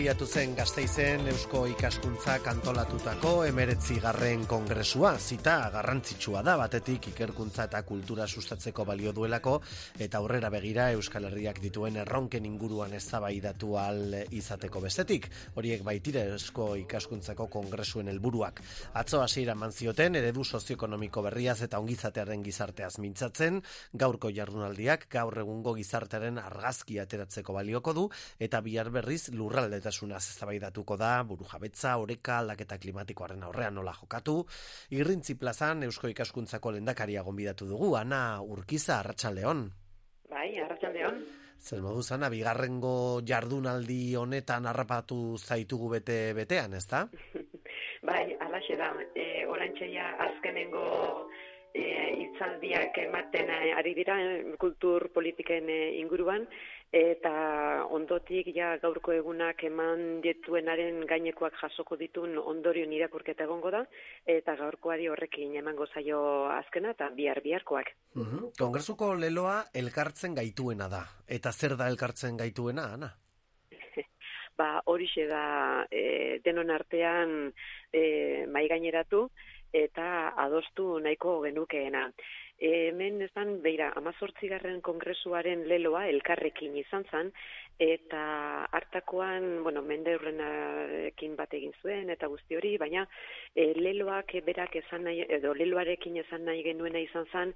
abiatu zen Gasteizen Eusko Ikaskuntzak antolatutako 19. kongresua. Zita garrantzitsua da, batetik ikerkuntza eta kultura sustatzeko balio duelako, eta aurrera begira Euskal Herriak dituen erronken inguruan eztabaidatu ahal izateko bestetik. Horiek baitire Eusko Ikaskuntzako kongresuen helburuak. Atzo hasiera eman zioten eredu sozioekonomiko berriaz eta ongizatearen gizarteaz mintzatzen, gaurko jardunaldiak gaur egungo gizartearen argazki ateratzeko balioko du, eta bihar berriz lurraldetasunaz eztabaidatuko da, burujabetza, oreka, aldaketa klimatikoaren aurrean nola jokatu. Irrintzi plazan Eusko Ikaskuntzako lehendakaria gonbidatu dugu, Ana Urkiza, arratsaldeon. Bai, arratsaldeon. Zer moduz, Ana, bigarrengo jardunaldi honetan harrapatu zaitugu betean, ezta? Bai, alaxe da. Oraintxeia azkenengo hitzaldiak ematen ari dira kultur politiken inguruan, eta ondotik ja gaurko egunak eman dituenaren gainekoak jasoko ditun ondorioen irakurketa egongo da, eta gaurkoari horrekin emango zaio azkena eta biharkoak. Kongresuko leloa elkartzen gaituena da. Eta zer da elkartzen gaituena, Ana? Horixe da denon artean mahaigaineratu eta adostu nahiko genukeena. Hemen ezan, beira, 18. kongresuaren leloa elkarrekin izan zen, eta hartakoan, Mendeurrenarekin bat egin zuen, eta guzti hori, baina leloak berak esan nahi, edo leloarekin esan nahi genuena izan zen,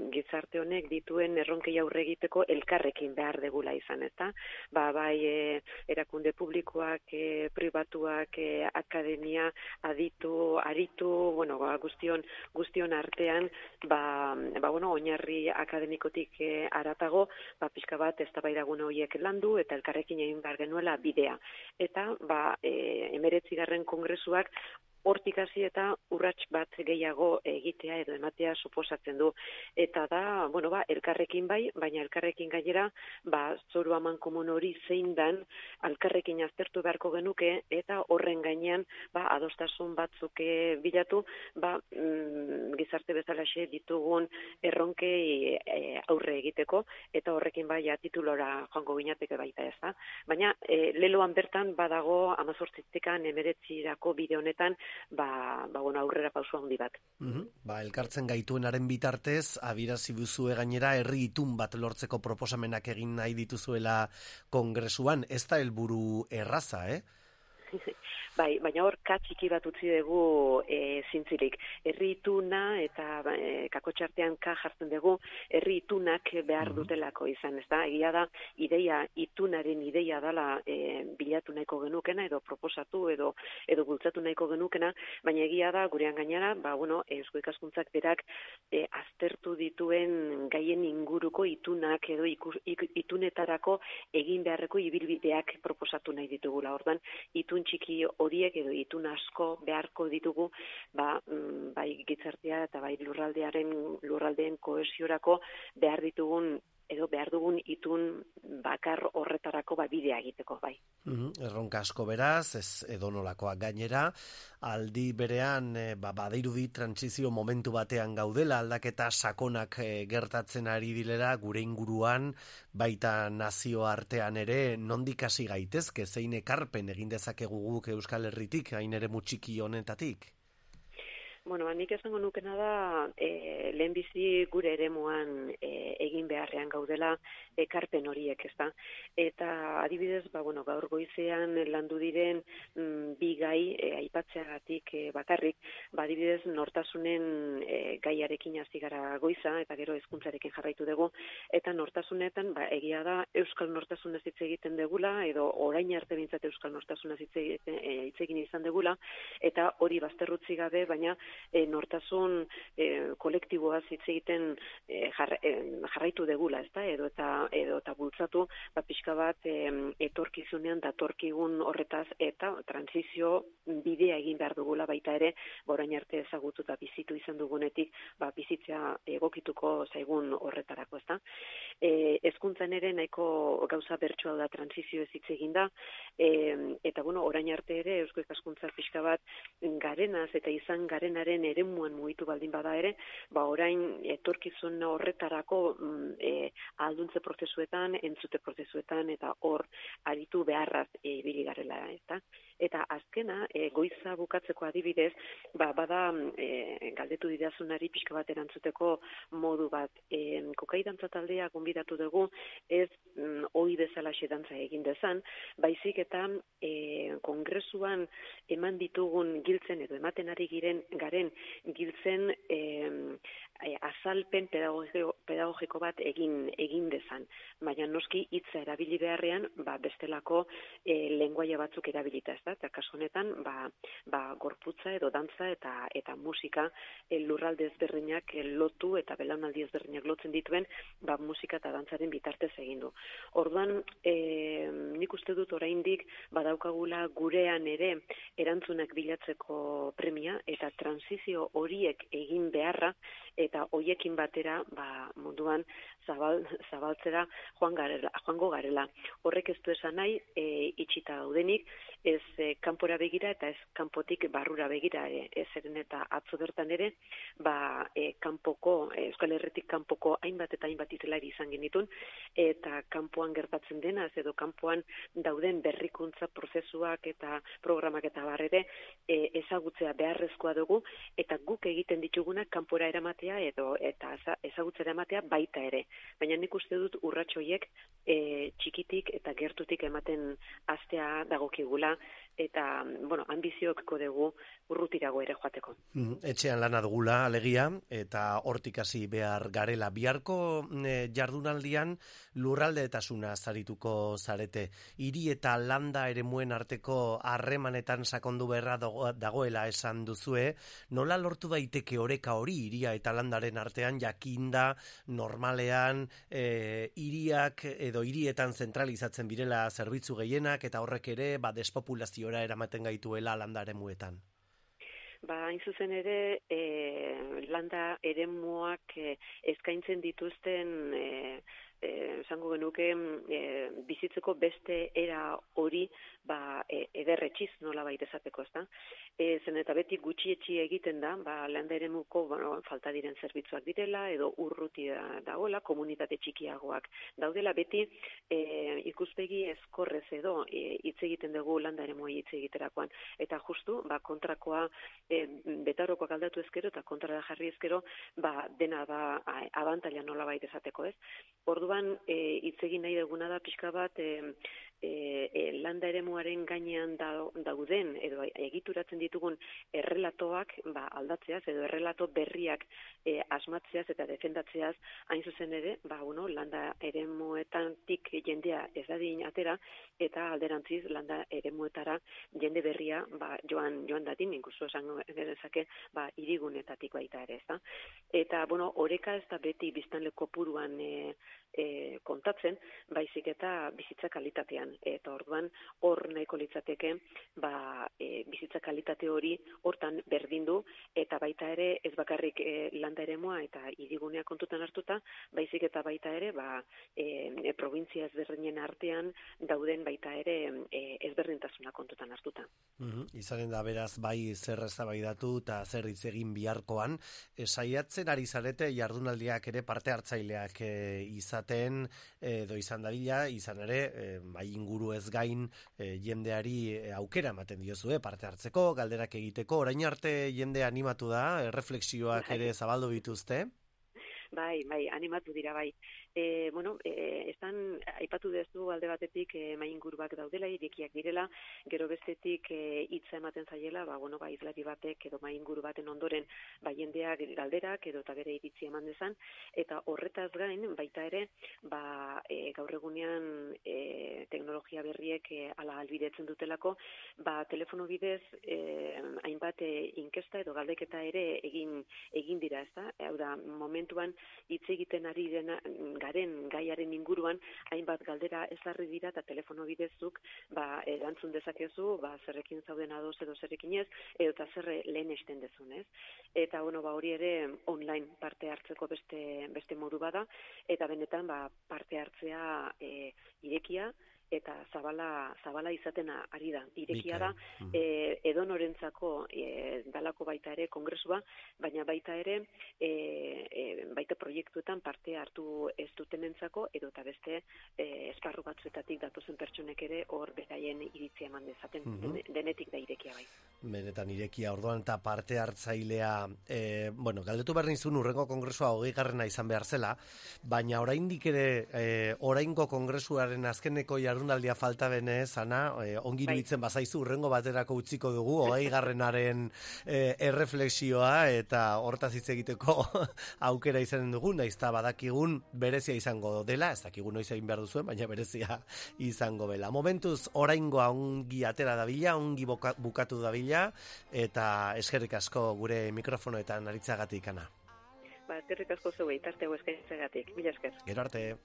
gizarte honek dituen erronkei aurre egiteko elkarrekin behar degula izan, ezta? Bai erakunde publikoak, pribatuak, akademia, aditu, guztion artean, oinarri akademikotik haratago, pixka bat eztabaidagune horiek landu eta elkarrekin egin behar genuela bidea. Eta 19. kongresuak hortik hasi eta urrats bat gehiago egitea edo ematea suposatzen du. Eta da, elkarrekin bai, baina elkarrekin gainera, zoru amankomun hori zein dan, elkarrekin aztertu beharko genuke, eta horren gainean, adostasun batzuk bilatu, gizarte bezalaxe ditugun erronkei aurre egiteko, eta horrekin titulora joango ginateke baita ez da. Baina, leloan bertan badago 18-tik 19 bide honetan, aurrera pauso handi bat. Elkartzen gaituenaren bitartez, abirazi duzue gainera herri itun bat lortzeko proposamenak egin nahi dituzuela kongresuan, ez da helburu erraza, Bai, baina hor katxiki bat utzi dugu zintzilik. Herri ituna eta kakotxartean jartzen dugu, herri itunak behar dutelako izan, ez da? Egia da, itunaren ideia dela bilatu nahiko genukena, edo proposatu, edo bultzatu nahiko genukena, baina egia da, gurean gainera, Eusko Ikaskuntzak berak aztertu dituen gaien inguruko itunak, edo itunetarako egin beharreko ibilbideak proposatu nahi ditugula. Ordan, itun txiki horiek edo itun asko beharko ditugu, bai gizartea eta bai lurraldeen kohesiorako behar dugun itun bakar horretarako bidea egiteko, bai. Erronka asko beraz, ez edonolakoak gainera, aldi berean badirudi trantsizio momentu batean gaudela, aldaketa sakonak gertatzen ari dilera gure inguruan, baita nazio artean ere, nondik hasi gaitezke, zein ekarpen egin dezakegu guk Euskal Herritik, hain ere mutxiki honetatik? Nik esango nukena da, lehenbizi gure eremuan egin beharrean gaudela ekarpen horiek, ezta? Eta adibidez, gaur goizean landu diren bi gai aipatzeagatik bakarrik, adibidez nortasunen gaiarekin hasi gara goiza, eta gero hezkuntzarekin jarraitu dugu, eta nortasunetan, egia da, euskal nortasunez hitz egiten degula, edo orain arte bintzat euskal nortasunez hitz egin izan degula, eta hori bazterrutzi gabe, baina nortasun kolektiboaz hitz egiten jarraitu degula, ezta? Edo eta bultzatu, pixka bat etorkizunean datorkigun horretaz eta transizio bidea egin behar dugula baita ere, orain arte ezagutu eta bizitu izan dugunetik, bizitzea egokituko zaigun horretarako, ezta? hezkuntzan ere nahiko gauza bertsua da, transizio ez hitz eginda, eta bueno, orain arte ere eusko ikaskuntza pixka bat garenaz eta izan garenaren eremuan mugitu baldin bada ere, orain etorkizun horretarako ahalduntze prozesuetan, entzute prozesuetan eta hor aritu beharraz ibili garela, eta azkena goiza bukatzeko adibidez, bada galdetu didazunari pixka bat erantzuteko modu bat. Kokai dantza taldea gonbidatu dugu, ez ohi bezala dantza egin dezan, baizik eta kongresuan eman ditugun giltzen edo ematen ari garen giltzen azalpen pedagogiko bat egin dezan. Baina noski hitza erabili beharrean, bestelako lenguaia batzuk erabilita, eta kasu honetan, gorputza edo dantza eta musika lurralde ezberdinak lotu eta belaunaldi ezberdinak lotzen dituen, musika eta dantzaren bitartez egin du. Orduan, nik uste dut oraindik badaukagula gurean ere erantzunak bilatzeko premia eta transizio horiek egin beharra eta hoiekin batera munduan zabaltzera joango garela. Horrek ez du esan nahi itxita gaudenik, ez kanpora begira eta ez kanpotik barrura begira ere. Zeren eta atzo bertan ere, kanpoko, Euskal Herritik kanpoko hainbat eta hainbat hizlari izan genitun, eta kanpoan gertatzen denaz edo kanpoan dauden berrikuntza prozesuak eta programak eta barrere ezagutzea beharrezkoa dugu, eta guk egiten ditugunak kanpora eramatea eta ezagutzera ematea baita ere. Baina nik uste dut urrats horiek txikitik eta gertutik ematen hastea dagokigula, eta, ambizioekko dugu urrutirago ere joateko. Etxean lana dugula, alegia, eta hortik hasi behar garela. Biharko jardunaldian lurraldeetasuna zarituko zarete. Hiri eta landa eremuen arteko harremanetan sakondu beharra dagoela esan duzue. Nola lortu daiteke oreka hori hiria eta landaren artean, jakinda normalean hiriak edo hirietan zentralizatzen birela zerbitzu gehienak eta horrek ere despopulaziora eramaten gaituela landa eremuetan? Hain zuzen ere, landa eremuak eskaintzen dituzten esango genuke bizitzeko beste era hori ederretxiz nola baita esateko, ezta? Zen eta beti gutxietxi egiten da, landa eremuko falta diren zerbitzuak direla, edo urruti dagoela, komunitate txikiagoak daudela, beti ikuspegi ezkorrez edo hitz egiten dugu landa eremuai hitz egiterakoan. Eta justu, kontrakoa betarokoak aldatu ezkero eta kontrara jarri ezkero, dena da abantaila nola baita esateko, ez? Orduan, hitz egin nahi duguna da pixka bat landa eremuaren gainean dauden edo egituratzen ditugun errelatoak aldatzeaz edo errelato berriak asmatzeaz eta defendatzeaz hain zuzen ere, landa eremuetatik jendea ez dadin atera eta alderantziz landa eremuetara jende berria joan dadin, inkuso esan genezake hirigunetatik baita ere, ezta? Eta, oreka ez da beti biztanle kopuruan kontatzen, baizik eta bizitza kalitatean. Eta orduan, hor nahiko litzateke, bizitza kalitate hori hortan berdindu, eta baita ere ez bakarrik landa eremua eta hirigunea kontutan hartuta, baizik eta baita ere, provintzia ezberdinen artean dauden baita ere ezberdintasuna kontutan hartuta. Izanen da beraz, bai zer eztabaidatu eta zer hitz egin biharkoan, saiatzen ari zarete jardunaldiak ere parte hartzaileak izaten edo izan dadila, izan ere, inguru ez gain jendeari aukera ematen diozue parte hartzeko, galderak egiteko, orain arte jende animatu da, reflexioak ere zabaldu dituzte? Bai, animatu dira, bai. Aipatu dezu alde batetik mainguruak daudela, irekiak direla, gero bestetik hitza ematen zaiela, hizlari batek edo mainguru baten ondoren jendeak galderak edo eta bere iritzi eman dezan, eta horretaz gain baita ere, gaur egunean teknologia berriek ala albidetzen dutelako, telefono bidez hainbat inkesta edo galdeketa ere egin dira, ezta? Hau da, momentuan hitz egiten ari garen gaiaren inguruan hainbat galdera ezarri dira eta telefono bidezuk erantzun dezakezu zerrekin zauden ados edo zerrekin ez, eta zer lehenesten dezun, ez? Eta hori ere online parte hartzeko beste modu bada, eta benetan parte hartzea irekia eta zabala izaten ari da. Irekia da, edonorentzako dalako baita ere kongresua, baina baita ere baita proiektuetan parte hartu ez dutenentzako edo eta beste esparru batzuetatik datozen pertsonek ere hor beraien iritzia eman dezaten, denetik da irekia bai. Benetan irekia, orduan eta parte hartzailea, galdetu behar nizun urrengo kongresua 20. izan behar zela, baina oraindik ere oraingo kongresuaren azkeneko jardunaldia falta benez, Ana, ongi iruditzen bazaizu urrengo baterako utziko dugu 20. Erreflexioa eta hortaz hitz egiteko aukera izanen dugu, naiz eta badakigun berezia izango dela, ez dakigun noiz egin behar duzuen, baina berezia izango dela. Momentuz oraingoa ongi atera dabila, ongi bukatu dabila, eta eskerrik asko gure mikrofonoetan aritzagatik, Ana. Eskerrik asko zeuei, tarte eskaintzagatik. Mila esker. Gero arte.